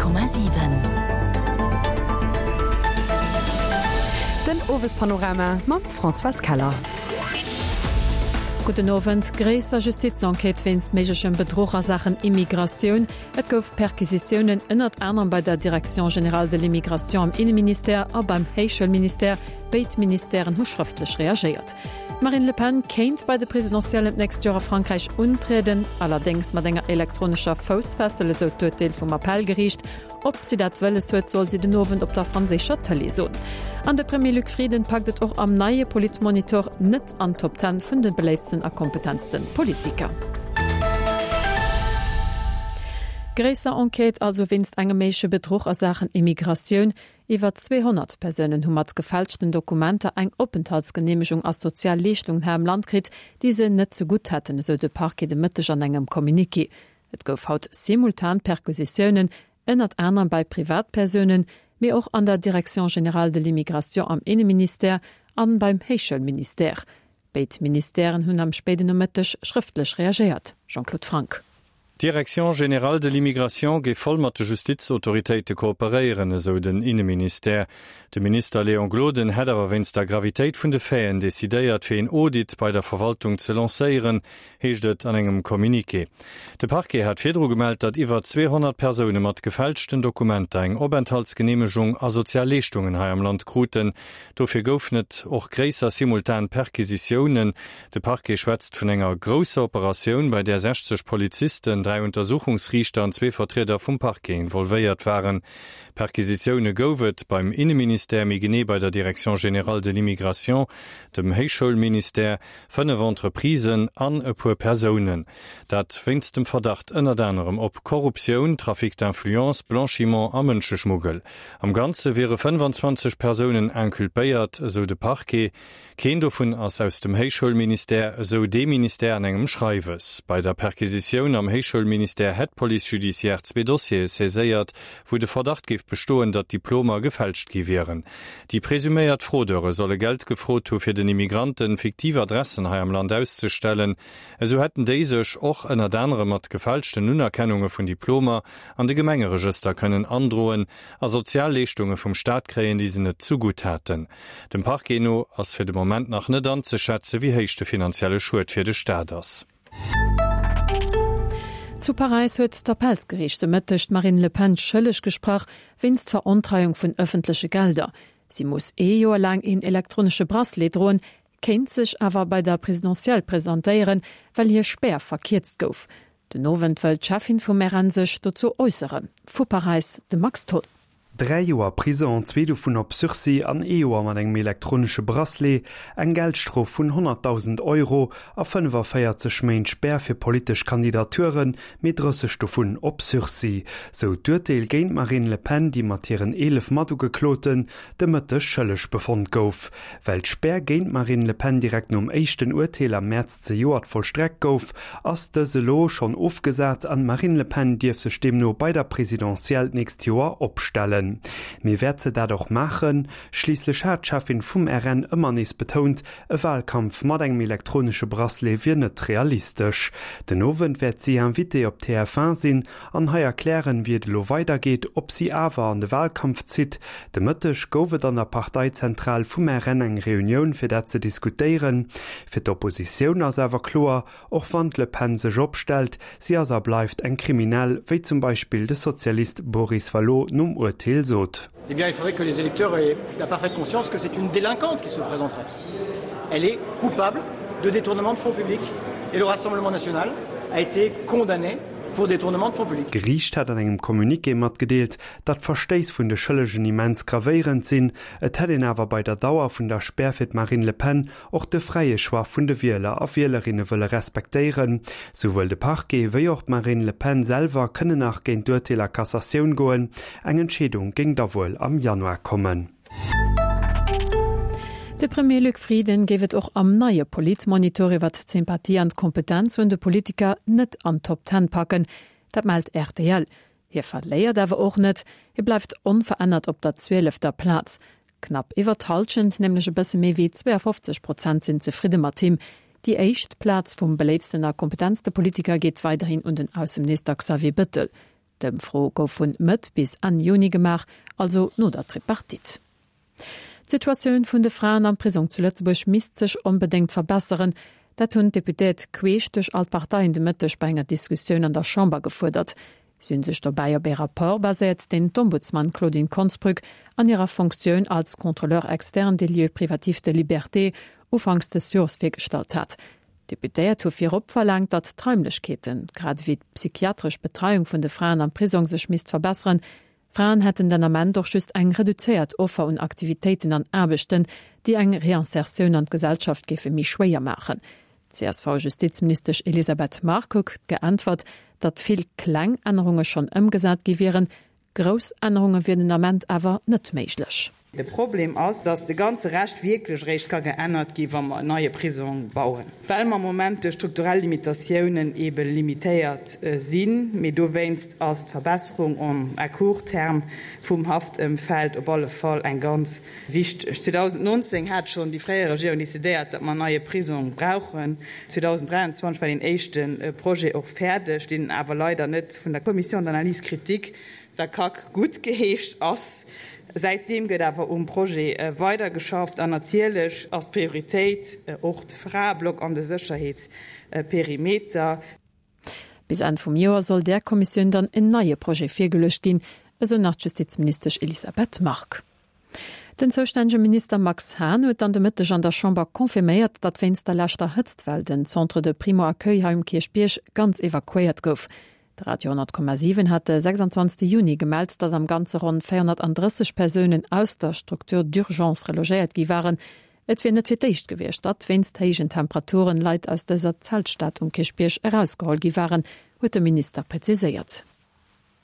100,7. Den Owespanorama mam Françoise Keller. Gudden Owend. Gréisser Justizenquête wéinst méiglechem Bedruch a Saachen Immigratioun. Et gouf Perquisitiounen ënnert anerem bei der Direction générale de l'immigration am Inneministère a beim Héichschoulministère. Béid Ministèren hu schrëftlech reagéiert. D'Marine Le Pen kéint bei de Presidentiellen d'nächst Joer a Frankräich untrieden, allerdéngs mat enger elektronescher Foussfessel, esou d'Urteel vum Appellgeriicht. Ob si dat wëlles huet, soll si den Owend op der franséischer Tëlee soen. An de Premier Luc Frieden packt et och am neie Politmonitor net an d'Top Ten vun de beléiftsten a kompetentste Politiker. Gréisser Enquête also wéinst engem méigleche Bedruch a Saachen Immigratioun. Iwwer 200 Persounen hu mat gefälschten Dokumenter eng Openthaltsgeneemegung a sozial Leeschtungen hei am Land kritt, déi se net ze gutt hätten, esou de Parquet de Mëtteg an engem Communiqué. Et gouf haut simultan Perquisitiounen, ënnert anerem bei Privatpersounen, mee och an der Direction générale de l'immigration am Inneministère an beim Héichschoulministère. Béid Ministèren hunn am spéiden Nomëtteg schrëftlech reagéiert. Jean-Claude Franck. D'Direction générale de l'immigration géif voll mat de Justizautoritéite kooperéieren, esou den Inneministère. De Minister Léon Gloden hätt awer wéinst der Gravitéit vun de Faiten decidéiert, fir een Audit bei der Verwaltung ze lancéieren, heescht et an engem Communiqué. De Parquet hat virdru gemellt, datt iwwer 200 Persoune mat gefälschten Dokumenter eng Openthaltsgeneemegung a sozial Leeschtungen hei am Land kruten. Dofir goufen et och gréisser simultan Perquisitiounen. De Parquet schwätzt vun enger grousser Operatioun, bei där 60 Polizisten, 3 Untersuchungsriichter an zwee Vertrieder vum Parquet involvéiert waren. Perquisitioune gouf et beim Inneministère, méi genee bei der Direction générale de l'immigration, dem Héichschoulministère, 5 Entreprisen an e puer Persounen. Dat wéinst dem Verdacht ënnert anerem op Korruptioun, Trafic d'influence, Blanchiment a Mënscheschmuggel. Am Ganze wiere 25 Persounen inculpéiert, esou de Parquet. Keen dovun ass aus dem Héichschoulministère, esou dee Ministère an engem Schreiwes. Bei der Perquisitioun am Héichschoulministère hätt d'Police judiciaire zwee Dossiere saiséiert, wou de Verdacht géif bestoen, datt Diplomer gefälscht gi wieren. Déi presuméiert Fraudeure solle Geld gefrot hu fir den Immigranten fiktiv Adressen hei am Land auszestellen. Esou hätten déi sech och ënnert anerem mat gefälschten Unerkennunge vun Diplomer an de Gemengeregëster kënnen androen a sozial Leeschtunge vum Staat kréien, déi se net zu gutt haten. Dem Parquet no ass fir de Moment nach net anzeschätzen, wéi héich de finanzielle Schued fir de Staat ass. Zu Paräis huet d'Appellsgeriicht de Mëtteg d'Marine Le Pen schëlleg gesprach wéinst Verontreiung vun ëffentleche Gelder. Si muss ee Joer laang een elektronesche Bracelet droen, kéint sech awer bei der Presidentielle presentéieren, well hir Spär verkierzt gouf. Den Owend wëll d'Cheffin vum RN sech dozou äusseren. Vu Paräis de Max Tholl. 3 Joer Prison, zwee dovun op Sursis an ee Joer mat engem elektronesche Bracelet, eng Geldstrof vun 100.000 Euro a 45 Méint Spär fir politesch Kandidaturen, mee 30 dovun op Sursis. Sou d'Urteel géint d'Marine Le Pen, déi mat hiren 11 Matugekloten de Mëtteg schëlleg befonnt gouf. Well d'Spär géint d'Marine Le Pen direkt nom éischten Urteel am Mäerz zejoert vollstreckt gouf, ass dës elo schonn ofgesat an d'Marine Le Pen dierf sech deemno bei der Presidentielle d'nächst Joer opstellen. Mee wäert se dat och maachen? Schliisslech hat d'Cheffin vum RN ëmmer nees betount, e Walkampf mat engem elektronesche Bracelet wier net realistesch. Den Owend wäert si Invitée op TF1 sinn an hei erklären, wéi et elo weidergeet, ob si awer an de Walkampf zitt. De Mëtteg gouf et an der Parteizentral vum RN eng Reunioun, fir dat ze diskutéieren. Fir d'Oppositioun ass awer kloer, och wann d'Le Pen sech opstellt, si ass a bleift eng Kriminell, wéi zum Beispill de Sozialist Boris Vallaud nom Urteel sot. Eh bien, il faudrait que les électeurs aient la parfaite conscience que c'est une délinquante qui se présenterait. Elle est coupable de détournement de fonds publics et le Rassemblement national a été condamné pour détournement de fonds publics. D'Geriicht hat an engem Communiqué matgedeelt, datt d'Verstéiss vun de Schëllegen immens gravéierend sinn. Et hätt een awer bei der Dauer vun der Spär fir d'Marine Le Pen och de fräie Choix vun de Wieler a Wielerinne wëlle respektéieren. Souwuel de Parquet wéi och d'Marine Le Pen selwer kënnen nach géint d'Urteel a Cassatioun goen. Eng Entscheedung géing da wuel am Januar kommen. De Premier Luc Frieden géif et och am neie Politmonitor iwwert d'Sympathie an d'Kompetenz vun de Politiker net an d'Top Ten packen. Dat mellt rtl. Hie verléiert awer och net, hie bleift onverännert op der zwielefter Plaz. Knapp iwwer d'Hallschent, nämlech e bësse méi wéi 52 Prozent sinn zefridde mat him. Déi éischt Plaz vum beléiftsten a kompetentste Politiker geet weiderhin un den Ausseminister Xavier Bëttel. D'Ëmfro gouf vun Mëtt bis Enn Juni gemaach, also no der Tripartite. D'Situatioun vun de Fraen am Prisong zu Lëtzebuerg misst sech onbedéngt verbesseren. Dat hunn d'Deputéiert queesch duerch all d'Parteien de Mëtteg bei enger Diskussioun an der Chamber gefuerdert. Si hunn sech dobäi op ee Rapport baséiert, deen d'Ombudsman Claudine Konsbrück an hirer Fonctioun als Contrôleur externe des lieux privatifs de liberté ufanks des Jors virgestallt hat. D'Deputéiert hu virop verlaangt, datt d'Raimlechkeeten, grad ewéi d'psychiatresch Betreiung vun de Fraen am Prisong sech misst verbesseren. Fraen hätten den Ament och just eng reduzéiert Offer un Aktivitéiten an Aarbechten, déi eng Reinsertioun an d'Gesellschaft géife méi schwéier maachen. D'CSV-Justizministesch Elisabeth Margue huet geäntwert, datt vill kleng Ännerunge schonn ëmgesat gi wieren, grouss Ännerunge wier den Ament awer net méiglech. De Problem ass, dass de ganze Rescht wierklech eréischt ka geännert gi wa mer en neie Prisong bauen, well mer am Moment duerch strukturell Limitatiounen eebe limitéiert sinn. Mee dowéinst ass d'Verbesserung en à court terme vum Haftëmfeld op alle Fall eng ganz wichteg. 2019 hat schonn déi fréier Regierung decidéiert, datt mer en neie Prisong brauchen. 2023 war deen éischte Projet och fäerdeg, deen awer leider net vun der Commission d'analyse critique der CAC guttgeheescht ass. Säitdeem gëtt awer um Projet weidergeschafft an natierlech ass d'Prioritéit och de Fraeblock an de Sécherheetsperimeter. Bis Enn vum Joer soll där Kommissioun dann en neie Projet virgeluecht ginn, esou nach d'Justizministesch Elisabeth Margue. Den zoustännege Minister Max Hahn huet dann de Mëtteg an der Chamber confirméiert, datt wéinst der leschter Hëtztwell den Centre de Primo-Accueil hei um Kierchbierg ganz evakuéiert gouf. De Radio 10,7 hat de 26 Juni gemellt, datt am Ganze ronn 430 Persounen aus der Structure d'urgence relogéiert gi waren. Et wier net fir d'éischt gewiescht, datt wéinst héijen Temperaturen Leit aus dëser Zeltstad um Kierchbierg erausgeholl gi waren, huet de Minister präziséiert.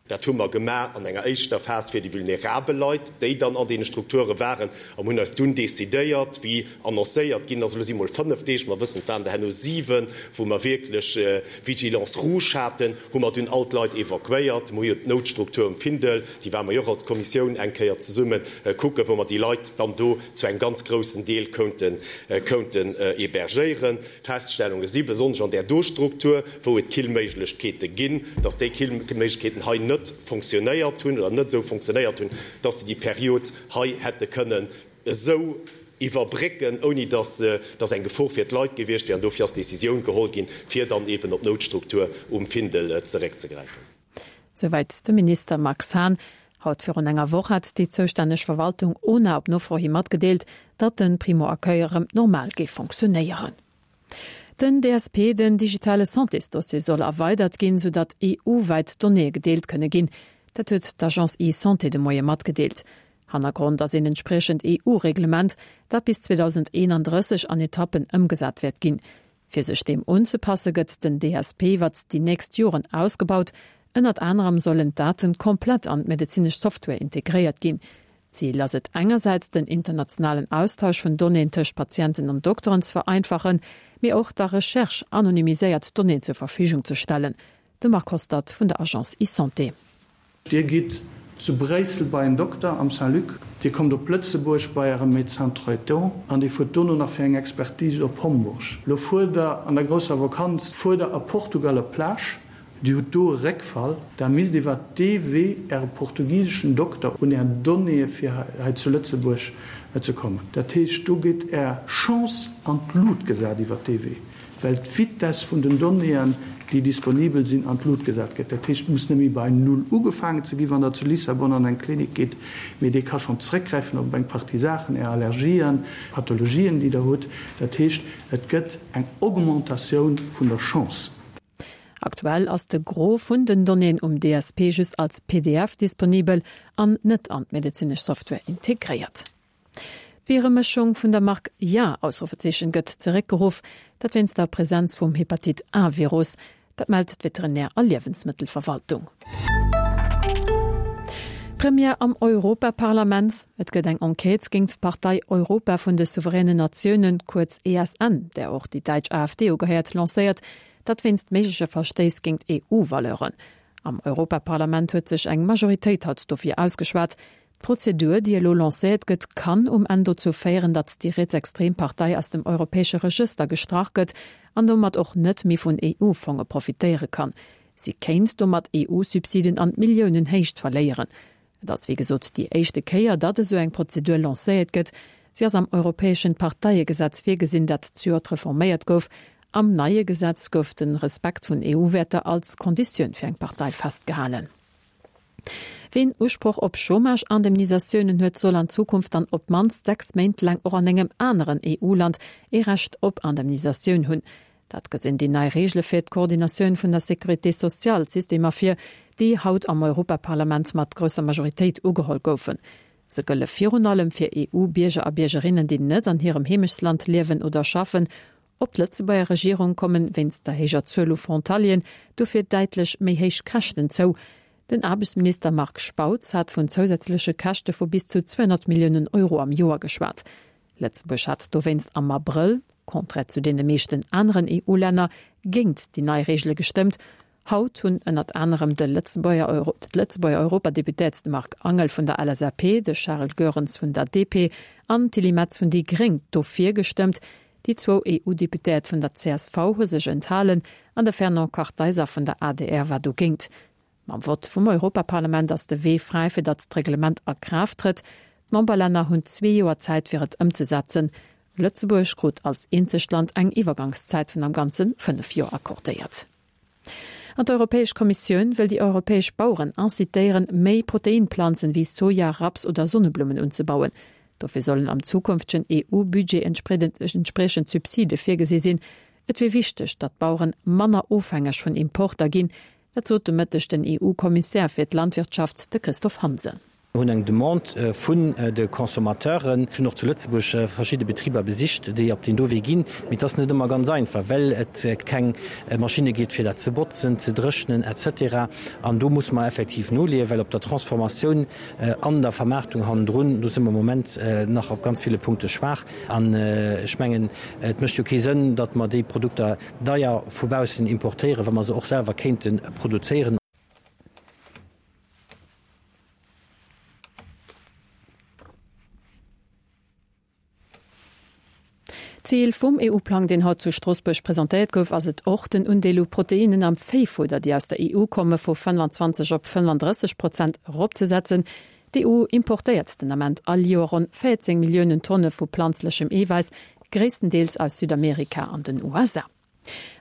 Dat hu mer gemaach an enger éischter Phas fir déi vulnerabel Leit, déi dann an deene Strukture waren, a mer hunn eis dunn decidéiert, wéi annoncéiert ginn ass, elo si mol 5 Deeg, mer wëssen, et waren der herno 7, wou mer wierklech Vigilance rouge haten, hu mer dunn all d'Leit evakuéiert. Mer hu jo d'Noutstruktur um Findel, déi ware mer jo och als Kommissioun eng Kéier zesumme kucken, wou mer déi Leit dann do zu engem ganz groussen Deel kounten hébergéieren. D'Feststellunge si besonnesch an där do Struktur, wou et Killméiglechkeete ginn, dass déi Killméiglechkeeten hei net fonctionnéiert hunn oder net esou fonctionnéiert hunn, dass se déi Period hei hätte kënnen esou iwwerbrécken, ouni dass dass eng Gefor fir d'Leit gewiescht wier. An dofir ass d'Décisioun geholl ginn, fir dann eben op d'Noutstruktur um Findel zeréckzegräifen. Souwäit de Minister Max Hahn. Haut virun enger Woch hat déi zoustänneg Verwaltung ona op Nofro hi matgedeelt, datt de Primo-Accueil erëm normal géif fonctionéieren. Den DSP, den digitale Santésdossier, soll erweidert ginn, sou datt EU-wäit Donnéeë gedeelt kënne ginn. Dat huet d'Agence eSanté de Moie matgedeelt. Hannergrond ass een entspriechend EU-Reglement, dat bis 2031 an Etappen ëmgesat wäert ginn. Fir sech deem unzepasse gëtt den DSP iwwert déi nächst Joren ausgebaut. Ënnert anerem sollen d'Daten komplett an d'medezinesch Software integréiert ginn. Zil ass et engersäits den internationalen Austausch vun Donnéeën tëscht Patienten an Dokteren ze vereinfachen, mee och der Recherche anonymiséiert Donnéeën zur Verfügung ze stellen. De Marc Hostert vun der Agence eSanté. Dir gitt zu Bréissel bei en Dokter am Saint-Luc, Dir kommt op Lëtzebuerg bei Ärem Médecin traitant an Dir fuert dono nach fir eng Expertise op Homburg. Lo fuert Der an der grousser Vakanz, fuert Der a Portugal op d'Plage, Dir hutt do e Réckfall, da misst iwwert dee Wee Äre portugiseschen Dokter un Är Donnéeë fir hei zu Lëtzebuerg ze kommen. Dat heescht, do gétt Är Chance an d'Lut gesat iwwert dee Wee. well d'Vitess vun den Donnéeën, déi disponibel sinn, an d'Lut gesat gëtt. Dat heescht, et muss net méi bei Null ugefaangen ze ginn, wann Der zu Lissabon an eng Klinik gitt, mee dee ka schonn zréckgräifen op eng Partie Saachen, Är Allergien, Pathologien, déi Der hutt. Dat heescht, et gëtt eng Augmentatioun vun der Chance. Aktuell ass de Gros vun den Donnéeën um DSP just als pdf disponibel an net an d'medezinesch Software integréiert. D'Bieremëschung vun der Mark Ja! Ausrufezeechen gëtt zeréckgeruff, dat wéinst der Presenz vum Hepatit A-Virus. Dat mellt d'Veterinär a Liewensmëttelverwaltung. Première am Europaparlament, Et gëtt eng Enquête géingt d'Partei Europa vun de souveränen Natiounen, kuerz ESN, där och déi däitsch AfD ugehéiert, lancéiert, dat wéinst méigleche Verstéiss géingt EU-Valeuren. Am Europaparlament huet sech eng Majoritéit haut dofir ausgeschwat. D'Prozedur, déi elo lancéiert gëtt, kann um Enn dozou féieren, datt déi rietsextrem Partei aus dem europäesche Regëster gestrach gëtt an domat och net méi vun EU-Fonge profitéiere kann. Si kéint domat EU-Subsiden an Milliounenhéicht verléieren. Et ass wéi gesot déi éischte Kéier, datt esou eng Prozedur lancéiert gëtt. Si ass am europäeschen Parteiegesetz virgesinn, dat zejoert reforméiert gouf. Am neie Gesetz gouf de Respekt vun EU-Wäerter als Konditioun fir eng Partei festgehalen. Ween Usproch op Chômage-Indemnisatiounen huet, soll an Zukunft dann op d'mannst 6 Méint laang och an engem aneren EU-Land ee Recht op Indemnisatioun hunn. Dat gesinn déi nei Reegele fir d'Koordinatioun vun der Sécurité sociale-Systemer vir, déi haut am Europaparlament mat grousser Majoritéit ugeholl goufen. Se gëlle virun allem fir EU-Bierger a Biergerinnen, déi net an hirem Heemechtsland liewen oder schaffen. Op d'Lëtzebuerger Regierung kommen wéinst der héijer Zuel u Frontalieren dofir däitlech méi héich Käschten zou. Den Aarbechtsminister Marc Spautz hat vun zousätzleche Käschte vu bis zu 200 Milliounen Euro am Joer geschwat. Lëtzebuerg hat dowéinst am Abrëll, contraire zu deene meeschten aneren EU-Länner, géint déi nei Reegele gestëmmt. Haut hunn ënnert anerem de Lëtzebuerger d'Lëtzebuerger Europadeputéiert de Marc Angel vun der LSAP, de Charel Goerens vun der DP an d'Tilly Metz vun déi Gréng dofir gestëmmt. Déi zwou EU-Deputéiert vun der csv hu sech enthalen an de Fernand Kartheiser vun der adr war dogéint. Mam Vott vum Europaparlament ass de Wee fräi fir datt d'Reglement a Kraaft trëtt. D'Memberlänner hunn zwee Joer Zäit fir et ëmzesetzen. Lëtzebuerg krut als eenzegt Land eng Iwwergangszäit vun am Ganze 5 Joer accordéiert. An d'Europäesch Kommissioun wëll déi europäesch Baueren incitéieren, méi Proteinplanzen wéi Soja, Raps oder Sonneblummen unzebauen. Dofir sollen am zukünftegen EU-Budget entspriechend Subside virgesi sinn. Et wier wichteg, datt d'Baueren manner ofhängeg vun Importer ginn, Dat sot de Mëtteg den EU-Kommissär fir d'Landwirtschaft, de Christophe Hansen. Mir hunn eng Demande vun de Consommateuren. Ech hunn och zu Lëtzebuerg verschidde Betriber besicht, déi op deen do Wee ginn. Mee et ass net ëmmer ganz einfach, well et keng Maschinne gétt, fir dat ze botzen, ze dréchnen et cetera. An do musse mer effektiv noleeën, well op der Transformatioun an der Vermaartung hannendrun, do si mer am Moment nach op ganz ville Punkte schwaach. An ech mengen, et mécht jo kee Sënn, datt mer déi Produkter, Deier vu baussen importéieren, wa mer se och selwer kéinte produzéieren. Zil vum EU-Plang, deen haut zu Stroossbuerg presentéiert gouf, ass et och, den Undeel u Proteinnen am Véifudder, déi aus der EU komme, vu 25 op 35 Prozent eropzesetzen. D'EU importéiert den Ament all Joer ronn 14 Milliounen Tonne vu planzlechem Eewäiss, gréisstendeels aus Südamerika an den USA.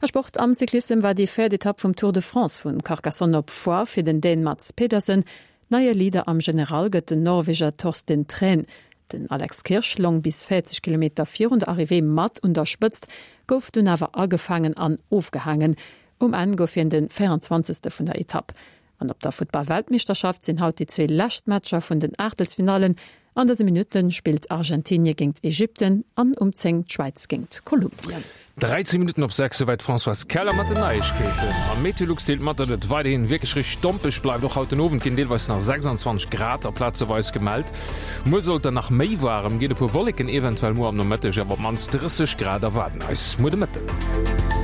A Sport, Am Cyclissem war déi véiert Etapp vum Tour de France vu Carcassonne op Foix fir den Dän Mads Pedersen. Neie Leader am General gëtt den Norweger Torsten Træn. Den Alex Kirsch long bis 40 Kilometer virun der Arrivée mat un der Spëtzt, gouf dunn awer agefaangen an ofgehaangen. Um Enn gouf hien de 24. vun der Etapp. An op der Futtball-Weltmeeschterschaft sinn haut déi zwee lescht Matcher vun den Aachtelsfinallen. An dëse Minutte spillt Argentinie géingt Ägypten an um 10 d'Schwäiz géingt Kolumbien. 13 Minutten op 6, souwäit d'Françoise Keller mat den Neiegkeeten. A Meteolux deelt mat, datt et weiderhin wierklech richteg dompeg bleift. Och haut den Owend ginn deelweis nach 26 Grad a plazeweis gemellt. Muer soll et dann nach méi waarem ginn, e puer Wolleken eventuell muer am Nomëtteg, awer op d'mannst 30 Grad erwaarden eis muer de Mëtten.